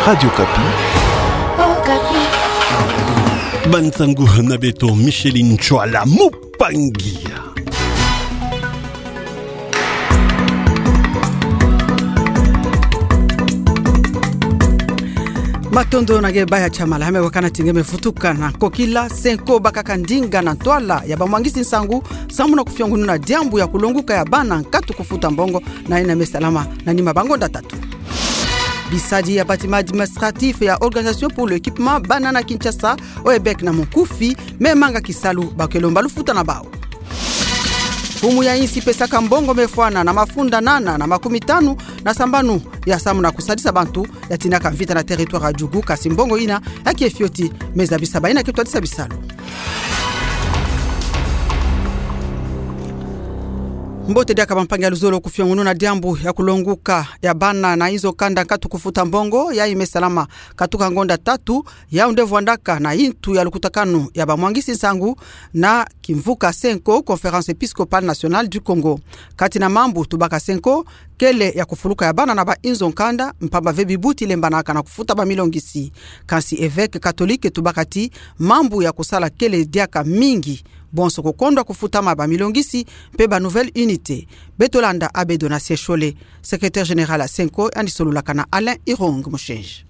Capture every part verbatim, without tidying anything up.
Radio Okapi. Okapi. Bansangu na beto Micheline Ntsoila Mupangi. Matondo na nge baya Tshamala, hame wakana ti nge me vutuka na nkokila. Cenco bakaka ndinga na ntwala ya bamwangisi nsangu, samu na kufiongununa diambu ya kulonguka ya bana nkatu kufuta mbongo, na ina me salama na nima ba ngonda tatu. Bisadi ya bâtiment administratif ya Organisation pour l'Équipement bana na Kinshasa, o Ebek na Monkufi, me manga kisalu, ba ke lomba lufuta na bau. Mfumu ya insi pesaka mbongo me fwana na mafunda nana na makumi tanu na sambanu ya samu na kusadisa bantu ya tinaka mvita na territoire ya Djugu, kasi mbongo ina ya ke fioti. Me zabisa baina ke twadisa bisalu. Mbote diaka bampangi ya luzolo. Kufiongununa diambu ya kulonguka ya bana na inzo kanda nkatu kufuta mbongo, yayi me salama katuka ngonda tatu, yau nde vwandaka na intu ya lukutakanu ya bamwangisi nsangu na kimvuka Cenco, Conférence Épiscopale Nationale du Congo. Kati na mambu tubaka Cenco, kele ya kufuluka ya bana na ba inzo nkanda, mpamba ve bibuti lembanaka na kufuta bamilongisi. Kansi Evêque catholique tubaka ti mambu ya kusala kele diaka mingi, bonso kukondwa kufutama bamilongisi mpe ba nouvelle unité. Beto landa Abbé Donatien Chole, secrétaire général ya Cenco, yandi sololaka na Alain Irung Mushenji.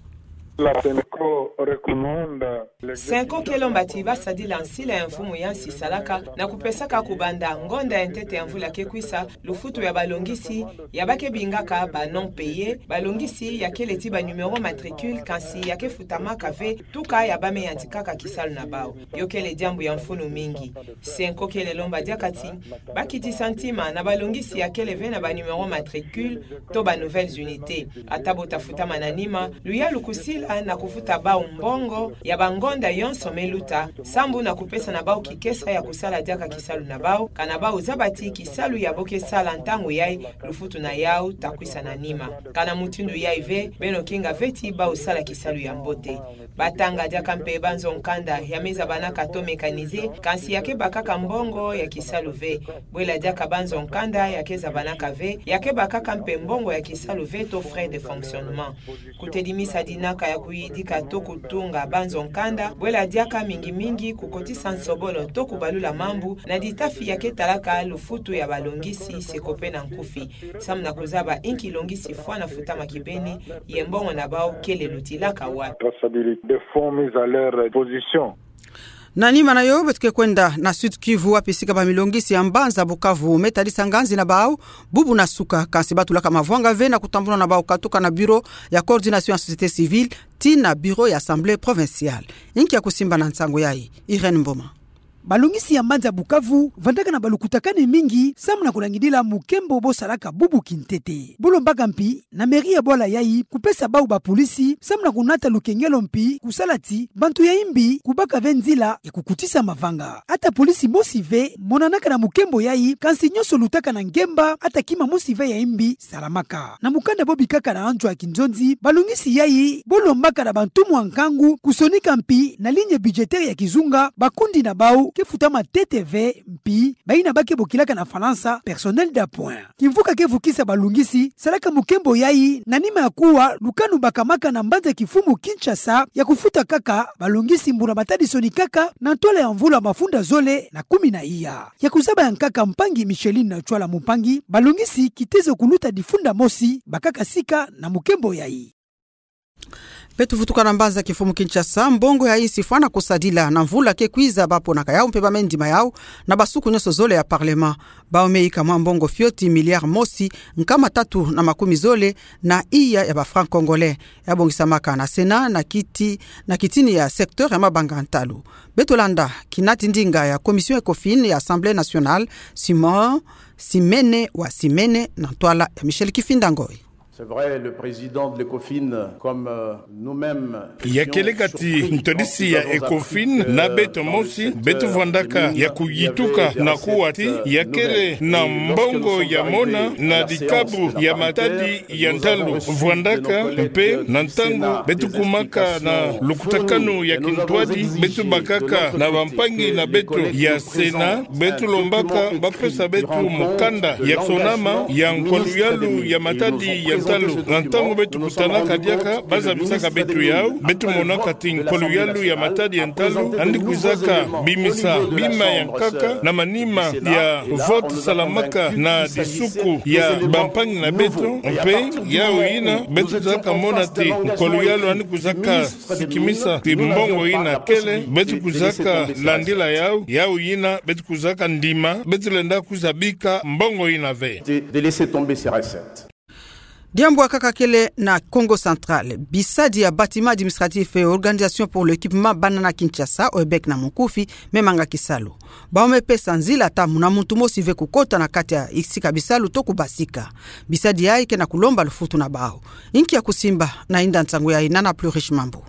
La Cenco recommande les Cenco ke lomba ti basadila nsila ya mfumu ya nsi salaka na kupesaka kubanda ngonda ya ntete ya mvula ke kwisa lufutu ya balongisi ya ba ke bingaka ba non-payés, balongisi ya kele ti ba numéro matricule kansi ya ke futamaka ve tuka ya ba me yantikaka kisalu na bau. Yo kele diambu ya mfunu mingi. Cenco kele lomba diaka ti bakitisa ntima na balongisi ya kele ve na ba numéro matricule to ba nouvelles unités. Ata bo ta futama na nima, luyalu kusila na kufuta bau mbongo ya bangonda yonso me luta, sambu na kupesa na bau kikesa ya kusala diaka kisalu na bau, kana bau zaba ti kisalu ya bo ke sala ntangu yayi, lufutu na yau ta kwisa na nima. Kana mutindu yayi ve, beno kinga ve ti bau sala kisalu ya mbote. Batanga diaka mpe banzo nkanda ya me zabanaka to mécanisé, kansi ya ke bakaka mbongo ya kisalu ve. Bwela diaka banzo nkanda ya ke zabanaka ve, ya ke bakaka mpe mbongo ya kisalu ve to frais de fonctionnement. Kutedimisa dinaka ya kuyidika to kutunga banzo nkanda, bwela diaka mingi mingi kukotisa nsobolo to kubalula mambu na ditafi ya ke talaka lufutu ya balongisi, Cenco mpe na nkufi. Samu na kuzaba inki longisi fwana futama kibeni, ye mbongo na bau kele lutilaka wapi. Traçabilité des fonds mis à leur disposition. Na nima na yo, beto ke kwenda na Sud-Kivu, wapi sika bamilongisi ya mbanza Bukavu me tadisa nganzi na bau bubu na suka, kansi batulaka mavwanga ve na kutambuna na bau katuka na bureau ya coordination ya société civile tii na bureau ya assemblée provinciale. Inki ya kusimba na nsangu yayi? Irène Mboma. Balongisi ya mbanza Bukavu vandaka na balukutakanu mingi samu na kulangidila mukembo bo salaka bubu kintete. Bo lombaka mpi na mairie ya bwala yayi kupesa bau bapolisi samu na kunata lukengelo mpi kusala ti bantu ya imbi kubaka ve nzila ya kukutisa mavanga. Ata polisi mosi ve monanaka na mukembo yayi, kansi nyonso lutaka na ngemba, ata kima mosi ve ya imbi salamaka. Na mukanda bo bikaka na anzwa ya kinzonzi, balongisi yayi bo lombaka na bantumwa nkangu kusonika mpi na ligne budgétaire ya kizunga bakundi na bau ke futama ntete ve, mpi bayina ba ke bokilaka na Falansa personnel d'appoint. Kimvuka ke vukisa balongisi salaka mukembo yayi na nima ya kuwa lukanu bakamaka na mbanza kifumu Kinshasa ya kufuta kaka balongisi mbula matadi sonikaka na ntwala ya mvula mafunda zole na kumi na iya. Ya kuzaba ya nkaka mpangi Micheline Ntsoila Mupangi, balongisi kitezo kuluta difunda mosi bakaka sika na mukembo yayi. Beto vutuka na mbanza kifumu Kinshasa, mbongo ya insi fwana kusadila na mvula ke kwiza, baponaka yau mpe ba me ndima yau na basuku nyonso zole ya parlement. Bau me yika mwa mbongo fioti milliard mosi nkama tatu na makumi zole na iya ya ba francs congolais, ya bongisamaka na Sénat na kiti, na kitini ya secteur ya mabanga ntalu. Beto landa kinati ndinga ya commission Ecofin ya Assemblée nationale, Simon Simene wa Simene, na ntwala ya Michel Kifinda Ngoi. C'est vrai, le président de l'Ecofin, comme, euh, nous-mêmes, ya kele kati ntwadisi ya Ecofin na beto mosi, beto vwandaka ya kuyituka na kuwa ti ya kele na mbongo ya mona na dikabu ya matadi ya ntalu. Vwandaka mpe na ntangu beto kumaka na lukutakanu ya kintwadi, beto bakaka na bampangi na beto ya Sénat, beto lombaka bapesa beto mukanda ya sonama ya nkwa luyalu ya matadi ya ntalu. Na ntangu beto kutanaka diaka, bazabisaka beto yau, beto monaka ti nkolo yalu ya matadi ya ntalu andi kwizaka bimisa bima ya nkaka na manima ya vote salamaka na disuku ya bampangi na beto, mpe yau yina beto zaka mona ti nkolo yalu andi kwizaka sikimisa ti mbongo yina kele, beto kwizaka landila yau, yau yina beto kwizaka ndima, beto lenda kwiza bika mbongo yina ve. De, de laisser tomber ces recettes. Diambu akaka kele na Kongo Central. Bisadi ya Bâtiments administratifs et organisations pour l'équipement bana na Kinshasa, OEBEC na monkufi, me manga kisalu. Bawu me pesa nzila tamu na muntu mosi ve kukota na kati ya sika bisalu to kubasika. Bisadi yayi ke na kulomba lufutu na bawu. Inki ya kusimba na inda nsangu yayi na Plus Riche Mambu.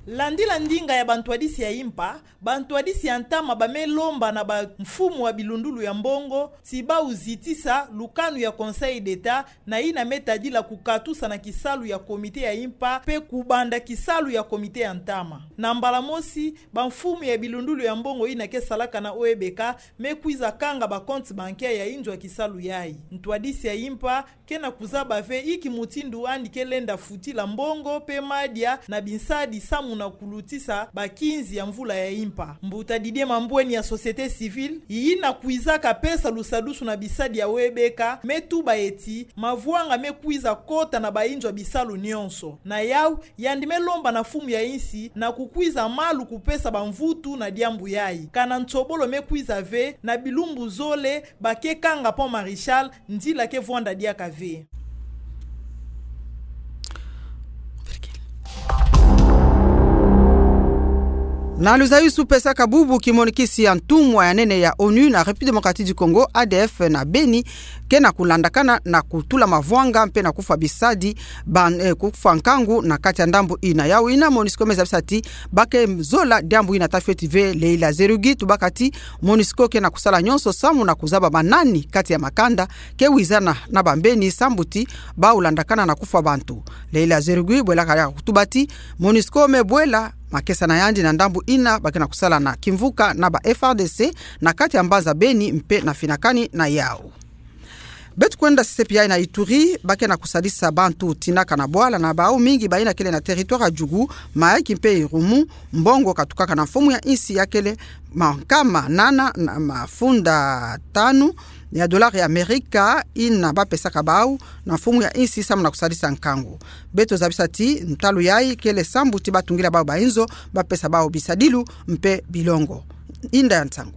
Landila ndinga ya bantwadisi ya impa, bantwadisi ya ntama ba me lomba na bamfumu wa bilundulu ya mbongo ti bawu zitisa lukanu ya Conseil d'État na yina me tadila kukatusa na kisalu ya comité ya impa mpe kubanda kisalu ya comité ya ntama. Na mbala mosi, bamfumu ya bilundulu ya mbongo yina ke salaka na OEBEC me kwiza kanga ba compte bancaire ya inzo ya kisalu yayi. Ntwadisi ya impa ke na kuzaba ve inki mutindu andi ke lenda futila mbongo mpe madia na binsadi samu na kulutisa bakinzi ya mvula ya impa. Mbuta Didier Mambweni ya société civile, yina kwizaka pesa lusadusu na bisadi ya OEBEC, me tuba ti mavwanga me kwiza kota na bainzo ya bisalu nyonso. Na yawu, yandi me lomba na mfumu ya insi na kukwiza malu kupesa bamvutu na diambu yayi. Kana nsobolo me kwiza ve na bilumbu zole, ba ke kanga Pont Maréchal, nzila ke vwanda diaka ve. Na luzayusu pesaka bubu kimonikisi ya ntumwa ya nene ya ONU na République Démocratique du Congo, ADF, na Beni, ke na kulandakana na kutula mavwanga mpe na kufwa bisadi, ban, eh, kufwa nkangu na kati ya ndambu yina. Yawu yina MONUSCO me zabisa ti ba ke zola diambu yina ta fioti ve. Leila Zerugui tubaka ti MONUSCO ke na kusala nyonso samu na kuzaba banani kati ya makanda ke wizana na bambeni sambu ti bawu landakana na kufwa bantu. Leila Zerugui bwelaka ya kutuba ti MONUSCO me bwela makesa na yandi na ndambu yina ba ke na kusala na kimvuka na ba FARDC na kati ya mbanza Beni mpe na finakani na yawu. Beto kwenda sesepi yayi na Ituri, ba ke na kusadisa bantu tinaka na bwala na bawu mingi bayina kele na territoire ya Djugu, Maïk mpe Irumu, mbongo katukaka na mfumu ya insi ya kele mankama nana na mafunda tanu ya dolari ya Amerika yina ba pesaka bawu na mfumu ya insi samu na kusadisa nkangu. Beto zabisa ti ntalu yayi kele sambu ti ba tungila bawu bainzo, ba pesa bawu bisadilu mpe bilongo. Inda ya nsangu.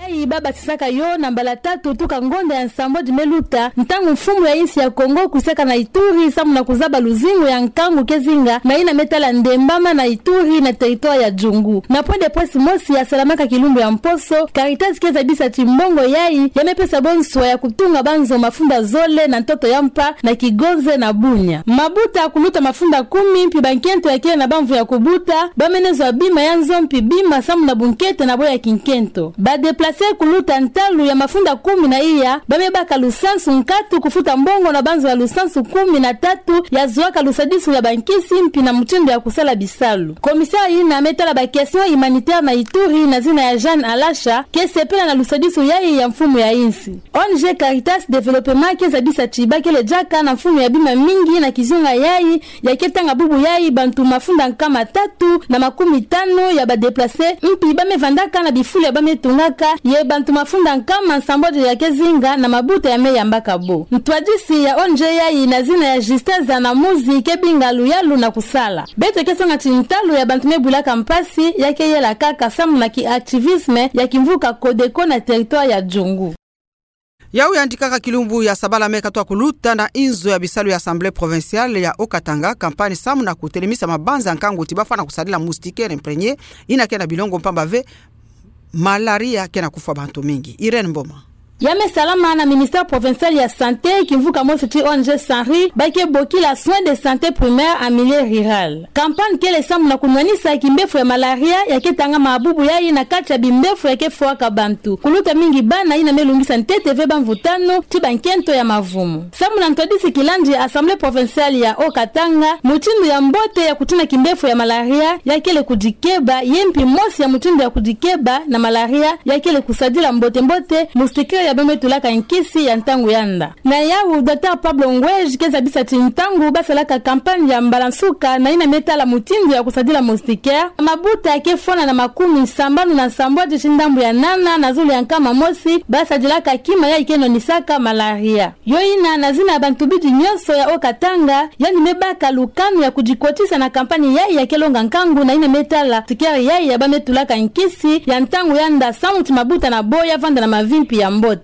Yayi ba batisaka yo na mbala tatu tuka ngonda ya nsambwadi me luta, ntangu mfumu ya insi ya Congo kwisaka na Ituri samu na kuzaba luzingu ya nkangu ke zinga na yina me tala ndembama na Ituri na territoire ya Djungu. Na point de presse mosi ya salamaka kilumbu ya mposo, Caritas ke zabisa ti mbongo yayi ya me pesa bo nswa ya kutunga banzo mafunda zole na ntoto ya mpa na Kigonze na Bunia. Mabuta kuluta mafunda kumi mpi bankento ya kele na bamvu ya kubuta, ba mene zwa bima ya nzo mpi bima samu na bunkento na bo ya kinkento. Ba déplacés kuluta ntalu ya mafunda kumi na iya, ba me baka lusansu nkatu kufuta mbongo na banzo ya lusansu kumi na tatu ya zwaka lusadisu ya bankisi mpi na mutindu ya kusala bisalu. Commissaire yina me tala ba questions humanitaires na Ituri na zina ya Jeanne Alasha ke sepela na lusadisu yayi ya mfumu ya insi. ONG Caritas Développement ke zabisa ti ba kele diaka na mfunu ya bima mingi na kizunga yayi, ya ke tanga bubu yayi bantu mafunda nkama tatu na makumi tanu ya ba déplacés, mpi ba me vandaka na bifulu ya ba me tungaka, ye bantu mafunda nkama nsambwadi ya ke zinga na mabuta ya me yambaka bo. Ntwadisi ya ONG yayi na zina ya Justin Zanamuzi ke binga luyalu na kusala. Beto ke songa ti ntalu ya bantu me bwilaka mpasi, ya ke yela kaka samu na ki activisme ya kimvuka Codeco na territoire ya Djungu. Yawu yandi kaka kilumbu ya sabala me katuka kuluta na inzo ya bisalu ya Assemblée provinciale ya Haut-Katanga, campagne samu na kutelemisa mabanza ya nkangu ti ba fwana kusadila moustiquaire imprégnée, yina ke na bilongo mpamba ve malaria ke na kufwa bantu mingi. Irène Mboma. Ya me salama na ministère provincial ya santé, kimvuka mosi ti ONG Sanri, ba ke bokila soins de santé primaire en milieu rural. Campagne kele samu na kunwanisa kimbefo ya malaria ya ke tangama bubu yayi na kati ya bimbefo ya ke fwaka bantu, kuluta mingi bana yina me lungisa ntete ve bamvu tanu ti bankento ya mavumu. Samu na ntwadisi kilandi ya Assemblée provinciale ya Haut-Katanga, mutindu ya mbote ya kutuna kimbefo ya malaria ya kele kudikeba, ye mpi mosi ya mutindu ya kudikeba na malaria ya kele kusadila mbote mbote moustiquaire ba me tulaka nkisi ya ntangu ya nda. Na yawu, Docteur Pablo Ngwej ke zabisa ti ntangu ba salaka campagne ya mbala nsuka na yina me tala mutindu ya kusadila moustiquaire, mabuta ke fwana na makumi sambanu na sambwadi ti ndambu ya nana na zulu ya nkama mosi ba sadilaka kima yayi ke nonisaka malaria. Yo yina na zina ya bantubidi nyonso ya Haut-Katanga, yandi me baka lukanu ya kudikotisa na campagne yayi ya ke longa nkangu na yina me tala moustiquaire yayi ya ba me tulaka nkisi ya ntangu ya nda samu ti mabuta na bo ya vanda na mavimpi ya mbote.